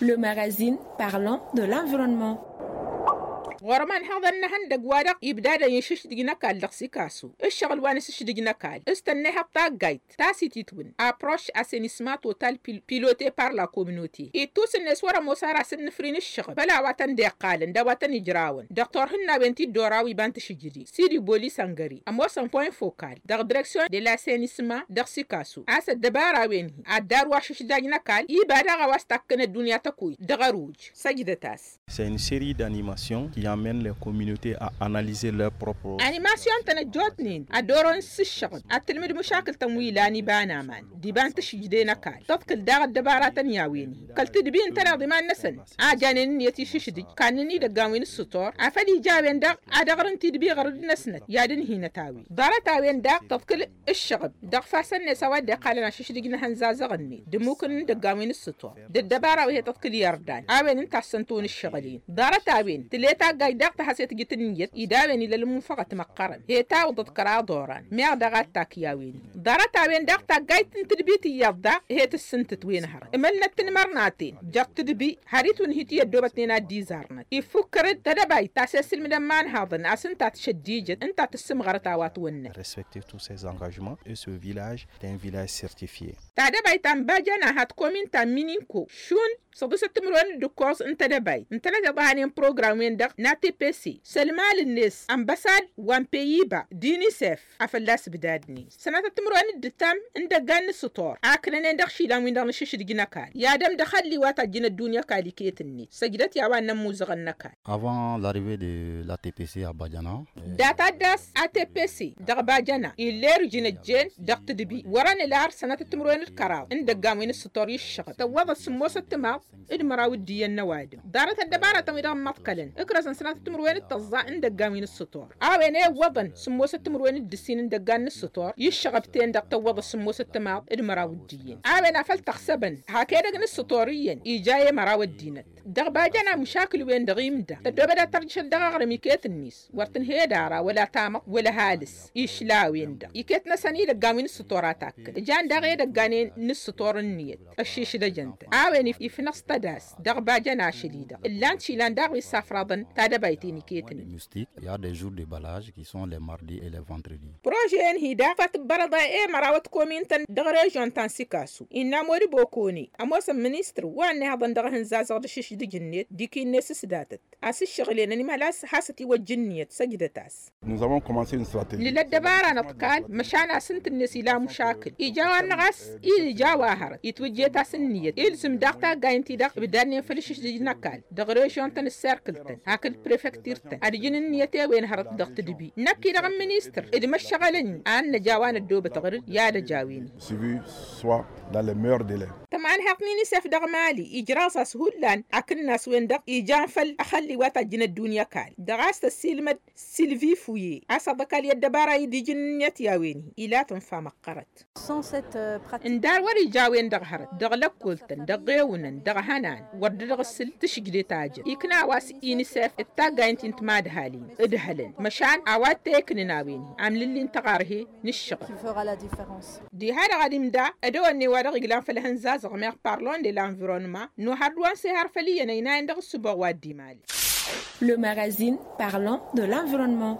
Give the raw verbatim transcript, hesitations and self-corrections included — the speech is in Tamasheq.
Le magazine parlant de l'environnement. Ɣur-măn haḍăn n-ehăndăg wa-dăɣ ibdadăn išǝšdǝj n-ăkall dăɣ-sikasu. Ǝššăɣǝl wa n-asǝšdǝj n-ăkall s-tănnăyhăḍ taggayt ta s-ititwǝn approche assainissement total piloté par la communauté. Ittus-net wăr-ămoos ar asǝnnǝfri n-ǝššăɣǝb făll-a-wa tăn-dd-iqqalăn d-a-wa tăn-ijrawăn dăɣ-turhǝnna a-wen ti dd-oraw iba n-tašǝjdit sidi bolis ăngări ămoosăn point focal dăɣ-direksyon de l-assainissement dăɣ-sikasu a-s ăddăbara a-wen-hi ad-dd-arǝw ašǝšdaj n-ăkall iba daɣ a-wa s-takkăn ăddunya tăkuy dăɣ-ăruj. Săjdăt-as. C'est une série d'animations qui amènent les communautés à analyser leur propre animasyon-tăn ăjjootnen ad-dd-orăwăn s-ǝššăɣǝb ad-tǝlmǝd mušakǝl-tăn wi ilan iba n-aman d-iba n-tašǝjde n-ăkall tăḍkǝl daɣ ăddăbaratăn i-a-wen-hi kăl-tǝdbi ǝntăneḍ iman-năsăn a janen ǝnniyăt išǝšdǝj kannăn idăggan wi n-ǝssǝtor afăl ija a-wen daɣ ad-ăɣrǝn tidbi ɣărăd-năsnăt i-ad-ǝnhinăt a-wen ḍarăt-a-wen daɣ tăḍkǝl ǝššăɣǝb dăɣ-ifassăn-net a-wa dd-iqqalăn ašǝšdǝj n-ehăn zazăɣ-net d-ǝmmukǝn n-idăggan wi n-ǝssǝtor d-ăddăbara wi he-tăḍkǝl i-ărdan a-wen ǝnta a ăssănto n-ǝššăɣǝl-in. Ḍarăt-a-wen tǝla i-taggayt daɣ tăhăse tǝjǝt ǝnniyăt-i d-a-wen ila ălmunfăɣăt măqqărăn he-tawǝḍăt kăraḍ oran meɣ daɣ ad-takk i-a-wen-hi. Ḍarăt-a-wen daɣ taggayt n-tǝdbit iyyăḍ daɣ he-tǝssǝntǝt wen hărăt ǝmălnăt tinmărnaten jer-tǝdbi har itwǝnhǝy ti ăddoobătnen ad-dd-izarnăt ifukkăr-dd tadăbayt ta s-e-sǝlmǝdăn imanhaḍăn a-s ǝnta a tǝšăddijăt ǝnta a tǝssǝmɣărăt a-wa ătwănnăt. Respecter tous ces engagements et ce village est un village certifié. Tadăbayt ta n-bajăna hat komin ta n-mininko šund săḍisăt timǝrwen d-ǝkkoẓ n-tadăbayt ǝntănăt iḍahanen program-wen-dăɣ n-atpc s-ălmal-net ănbăsad wa n-peyiba d-inisef a fălla-s ǝbdadnen sănatăt timǝrwen d-ǝttam n-idăggan n-ǝssǝtor a ǝknănen dăɣ-išilan-win-dăɣ n-ašǝšdǝj n-ăkall i-ad-ămdăxăl liwat a ăjjǝn ăddunya ăkall iket-net săjdăt i-a-wa ǝnnăn imuzăɣăn n-ăkall. Avant l'arrivée de l'atpc à Bajana. Data d-a-s atpc dăɣ-bajăna ill'-e-rǝjǝn ăjjeen dăɣ-tǝdbi wăr-ănǝlar sănatăt timǝrwen d-kăraḍ n-idăggan wi n-ǝssǝtor iššăɣăb tăwwăḍăt sǝmmosăt timaḍ d-măraw d-iyyăn n-ăwadǝm ḍarăt ăddăbaratăn-wi-dăɣ ǝmmăḍkălăn ǝkrăzăn sănatăt timǝrwen d-tăẓẓa n-idăggan wi n-ǝssǝtor a-wen i-iwwăḍăn sǝmmosăt timǝrwen d-ǝssin n-idăggan n-ǝssǝtor iššăɣăb-ten-dăɣ tăwwăḍăt sǝmmosăt timaḍ d-măraw d-iyyăn a-wen a făl tăɣsăbăn hak edăgg n-ǝssǝtor iyyăn ija i-măraw ăddinăt. Dăɣ-bajăn amǝšakǝl-wen-dăɣ imda tăddoobăd ad-tărjǝšăl dăɣ-aɣrǝm iket-net wăr tǝnhăyăd ara wăla tamăḍt wăla ăhalǝs išla a-wen-dăɣ iket-năsăn idăggan wi n-ǝssǝtor a takkăl ǝjan daɣ edăgganen n-ǝssǝtor ǝnniyăt ăššišdăjăn-tăn a-wen ifnăɣ s-tădas dăɣ-bajăn ašăl-i-dăɣ ǝllan-t išilan daɣ wi ǝssafraḍăn tadăbayt-en iket-net. Mustik il-y a des jours de balage qui sont les mardis et les vendredis. Prože-en-hi daɣ făt ǝbbărăḍ i-mărawăt komin-tăn dăɣ-režion ta n-sikasu innă amod bokone ămoosăn ministăr wa ănnihăḍăn dăɣ-ehăn zazăɣ d-ašǝšdǝj-net dik-i-net s-datăt a-s ǝššăɣǝl-en ănimhăl a-s hasăt-iwăjja ǝnniyăt săjdăt-as. Nǝla ăddăbara n-ăḍkal măšan a-s ǝnta-net ila amušakǝl ija wa-dăɣ a-s ila ija wa hărăt itwǝjjet-as ǝnniyăt ilzǝm daɣ taggay ǝnta-i-dăɣ ǝbdadnen făll-ašǝšdǝj n-ăkall dăɣ-režion-tăn d-serkǝl-tăn hakd prefektir-tăn ad-ǝjǝn ǝnniyăt i-wen hărăt dăɣ-tǝdbi năkk-i-dăɣ n-ministăr d-măššăɣăl-ǝnni a ănnăj a-wa năddoobăt ɣǝr-dd i-ad-ăj a-wen-hi. Tămanhăḍt n-inisef dăɣ-mali ijraẓ-as hullan akǝnnas-wen-dăɣ ijan făll-ăxălli wa tajjǝn ăddunya ăkall dăɣ-a-s tăssiilmăd silvi fuye a-s aḍăkal i-ăddăbara idijǝn ǝnniyăt i-a-wen-hi ila tǝnfa măqqărăt. Ǝndar wăr-ija a-wen-dăɣ hărăt dăɣ-lăkkol-tăn dăɣ-ɣewǝnăn dăɣ-ehănan wăr dd-dăɣ-ǝssǝl tǝšǝjdet a jăn ikna a-wa s-inisef d-taggayǝn ti n-timadhalin ǝdhălăn măšan a-wa t-iknǝn a-wen-hi amlǝlli n-tăɣarhe n-ǝššăɣǝl. Diha-dăɣ ad-imda ădăwănne wa dăɣ-iglan făll-ehăn zazăɣ meɣ parlon de l'environnement n-ohăr d-wa n-sehăr făll-iyyăn ăynayăn dăɣ-ǝssǝboɣ wa dd-imali. Le magazine parlons de l'environnement.